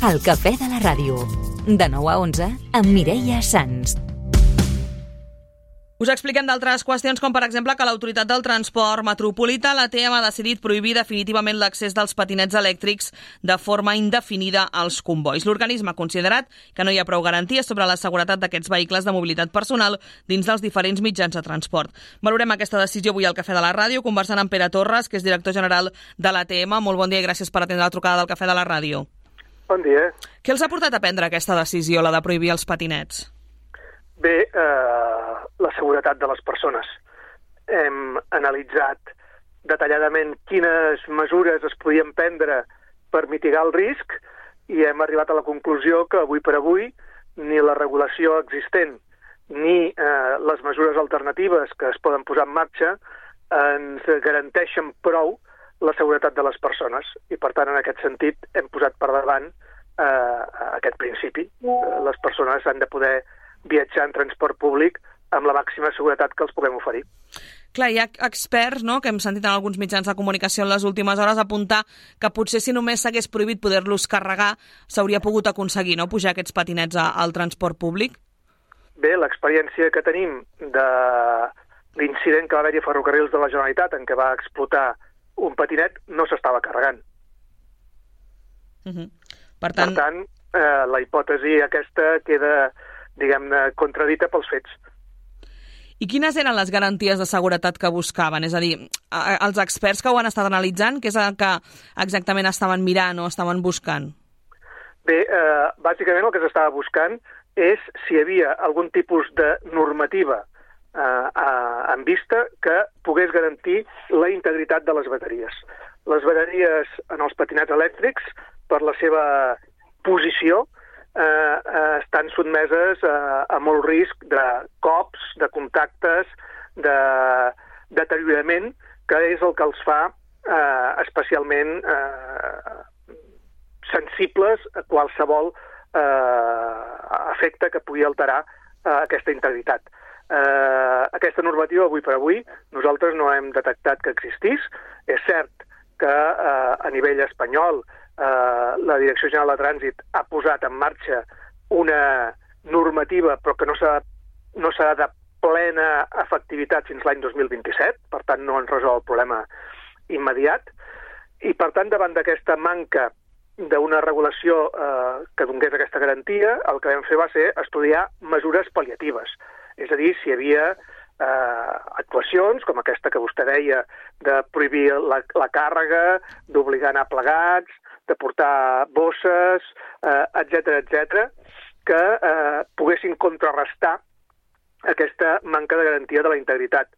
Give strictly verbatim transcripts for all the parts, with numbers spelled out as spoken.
El cafè de la ràdio. De nou a onze, amb Mireia Sans. Us expliquem d'altres qüestions, com per exemple que l'Autoritat del Transport Metropolità, l'A T M, ha decidit prohibir definitivament l'accés dels patinets elèctrics de forma indefinida als combois. L'organisme ha considerat que no hi ha prou garanties sobre la seguretat d'aquests vehicles de mobilitat personal dins dels diferents mitjans de transport. Valorem aquesta decisió avui al Cafè de la Ràdio, conversant amb Pere Torres, que és director general de l'A T M. Molt bon dia i gràcies per atendre la trucada del Cafè de la Ràdio. Bon dia. Què els ha portat a prendre aquesta decisió, la de prohibir els patinets? Bé, eh, la seguretat de les persones. Hem analitzat detalladament quines mesures es podien prendre per mitigar el risc i hem arribat a la conclusió que avui per avui ni la regulació existent ni eh, les mesures alternatives que es poden posar en marxa ens garanteixen prou la seguretat de les persones i, per tant, en aquest sentit, hem posat per davant eh, aquest principi. Les persones han de poder viatjar en transport públic amb la màxima seguretat que els puguem oferir. Clar, hi ha experts, no?, que hem sentit en alguns mitjans de comunicació en les últimes hores apuntar que potser si només s'hagués prohibit poder-los carregar s'hauria pogut aconseguir, no?, pujar aquests patinets a, al transport públic. Bé, l'experiència que tenim de l'incident que va haver-hi a Ferrocarrils de la Generalitat en què va explotar un patinet no s'estava carregant. Uh-huh. Per tant, per tant eh, la hipòtesi aquesta queda, diguem-ne, contradita pels fets. I quines eren les garanties de seguretat que buscaven? És a dir, els experts que ho han estat analitzant, què és el que exactament estaven mirant o estaven buscant? Bé, eh, bàsicament el que s'estava buscant és si hi havia algun tipus de normativa eh, eh, en vista que pogués garantir la integritat de les bateries. Les bateries en els patinets elèctrics, per la seva posició, eh, eh, estan sotmeses a, a molt risc de cops, de contactes, de deteriorament, que és el que els fa eh, especialment eh, sensibles a qualsevol eh, efecte que pugui alterar eh, aquesta integritat. Eh, aquesta normativa, avui per avui, nosaltres no hem detectat que existís. És cert que eh, a nivell espanyol eh, la Direcció General de Trànsit ha posat en marxa una normativa però que no s'ha no serà de plena efectivitat fins l'any dos mil vint-i-set, per tant no ens resol el problema immediat, i per tant davant d'aquesta manca d'una regulació eh, que donés aquesta garantia, el que vam fer va ser estudiar mesures pal·liatives. És a dir, si hi havia eh, actuacions, com aquesta que vostè deia, de prohibir la, la càrrega, d'obligar a anar plegats, de portar bosses, eh, etcètera, etcètera, que eh, poguessin contrarrestar aquesta manca de garantia de la integritat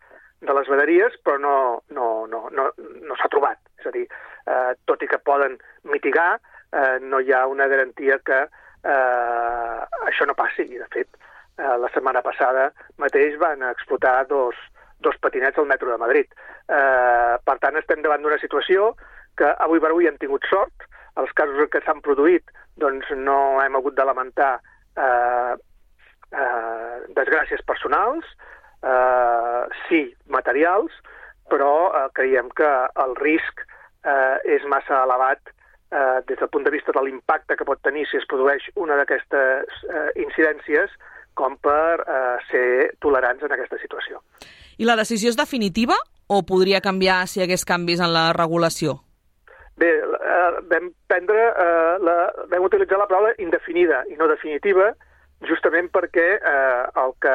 de les bateries, però no, no, no, no, no s'ha trobat. És a dir, eh, tot i que poden mitigar, eh, no hi ha una garantia que eh, això no passi. I, de fet, eh, la setmana passada mateix van explotar dos, dos patinets al metro de Madrid. Eh, per tant, estem davant d'una situació que avui per avui hem tingut sort. Els casos que s'han produït doncs, no hem hagut de lamentar eh, eh, desgràcies personals, eh, sí, materials, però eh, creiem que el risc eh, és massa elevat eh, des del punt de vista de l'impacte que pot tenir si es produeix una d'aquestes eh, incidències com per eh, ser tolerants en aquesta situació. I la decisió és definitiva o podria canviar si hi hagués canvis en la regulació? Bé, eh, vam prendre, eh, la, vam utilitzar la paraula indefinida i no definitiva, justament perquè eh, el que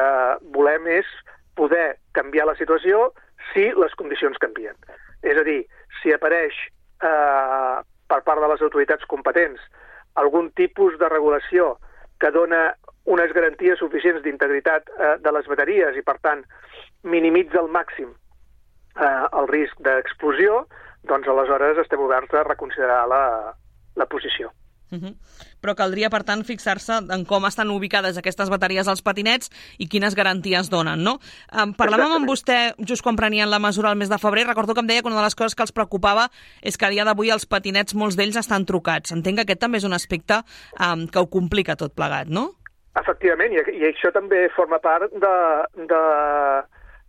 volem és poder canviar la situació si les condicions canvien. És a dir, si apareix eh, per part de les autoritats competents algun tipus de regulació que dona unes garanties suficients d'integritat eh, de les bateries i, per tant, minimitza al màxim eh, el risc d'explosió, doncs aleshores estem oberts a reconsiderar la, la posició. Uh-huh. Però caldria, per tant, fixar-se en com estan ubicades aquestes bateries als patinets i quines garanties donen, no? Um, parlàvem amb vostè just quan prenien la mesura el mes de febrer. Recordo que em deia que una de les coses que els preocupava és que a dia d'avui els patinets, molts d'ells, estan trucats. Entenc que aquest també és un aspecte um, que ho complica tot plegat, no? Efectivament, i, i això també forma part de, de,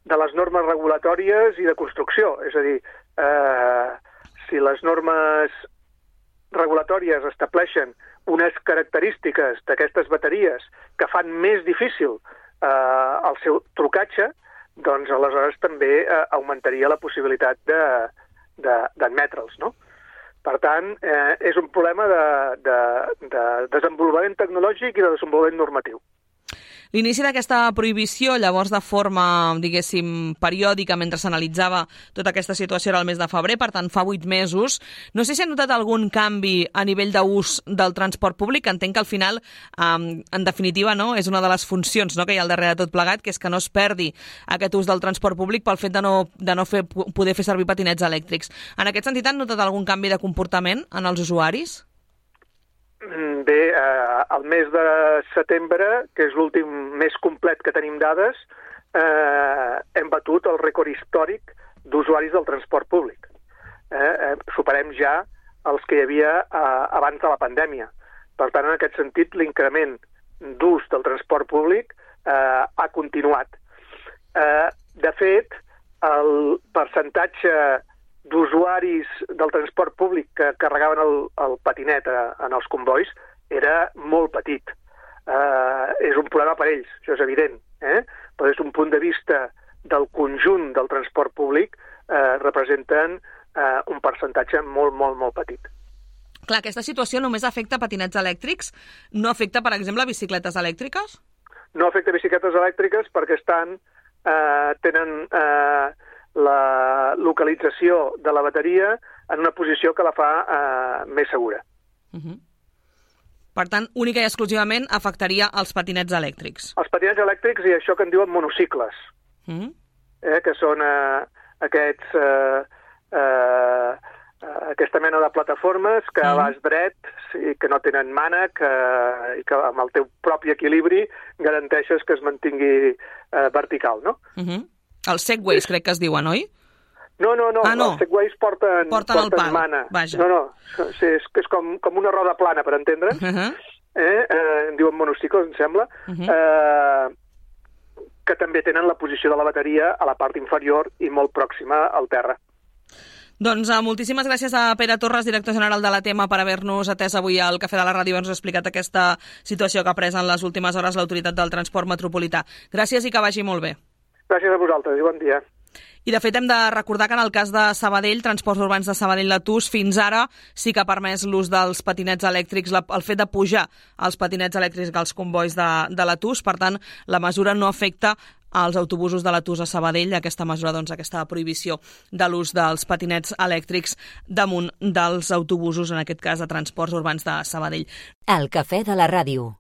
de les normes regulatòries i de construcció. És a dir, eh, si les normes regulatòries estableixen unes característiques d'aquestes bateries que fan més difícil eh, el seu trucatge, doncs aleshores també eh, augmentaria la possibilitat de, de, d'admetre'ls, no? Per tant, eh, és un problema de, de, de desenvolupament tecnològic i de desenvolupament normatiu. L'inici d'aquesta prohibició, llavors de forma, diguéssim, periòdica, mentre s'analitzava tota aquesta situació era el mes de febrer, per tant fa vuit mesos. No sé si ha notat algun canvi a nivell d'ús del transport públic. Entenc que al final, en definitiva, no, és una de les funcions, no, que hi ha al darrere de tot plegat, que és que no es perdi aquest ús del transport públic pel fet de no, de no fer, poder fer servir patinets elèctrics. En aquest sentit, han notat algun canvi de comportament en els usuaris? Bé, eh, el mes de setembre, que és l'últim mes complet que tenim dades, eh, hem batut el rècord històric d'usuaris del transport públic. Eh, eh, superem ja els que hi havia eh, abans de la pandèmia. Per tant, en aquest sentit, l'increment d'ús del transport públic eh, ha continuat. Eh, de fet, el percentatge d'usuaris del transport públic que carregaven el, el patinet a, en els combois era molt petit. Eh, és un problema per ells, això és evident, eh? Però des d'un punt de vista del conjunt del transport públic eh, representen eh, un percentatge molt, molt, molt petit. Clar, aquesta situació només afecta patinets elèctrics? No afecta, per exemple, bicicletes elèctriques? No afecta bicicletes elèctriques perquè estan, eh, tenen eh, la localització de la bateria en una posició que la fa eh, més segura. Uh-huh. Per tant, única i exclusivament afectaria els patinets elèctrics. Els patinets elèctrics i això que en diuen monocicles, uh-huh. eh, que són eh, aquests, eh, eh, aquesta mena de plataformes que uh-huh. vas dret i que no tenen mànec eh, i que amb el teu propi equilibri garanteixes que es mantingui eh, vertical, no? Uh-huh. Els segways, crec que es diuen, oi? No, no, no, ah, no. els segways porten, porten, porten porten mana. Vaja. No, no, sí, és, és com, com una roda plana, per entendre'ns. Uh-huh. eh, eh, en diuen monocicles, em sembla, uh-huh. eh, que també tenen la posició de la bateria a la part inferior i molt pròxima al terra. Doncs uh, moltíssimes gràcies a Pere Torres, director general de la T E M A, per haver-nos atès avui al Cafè de la Ràdio i haver-nos explicat aquesta situació que ha pres en les últimes hores l'Autoritat del Transport Metropolità. Gràcies i que vagi molt bé. Gràcies a vosaltres i bon dia. I, de fet, hem de recordar que en el cas de Sabadell, Transports Urbans de Sabadell-Latús, fins ara sí que ha permès l'ús dels patinets elèctrics, la, el fet de pujar els patinets elèctrics als combois de, de Latús. Per tant, la mesura no afecta als autobusos de Latús a Sabadell, aquesta mesura, doncs, aquesta prohibició de l'ús dels patinets elèctrics damunt dels autobusos, en aquest cas de Transports Urbans de Sabadell. El Cafè de la Ràdio.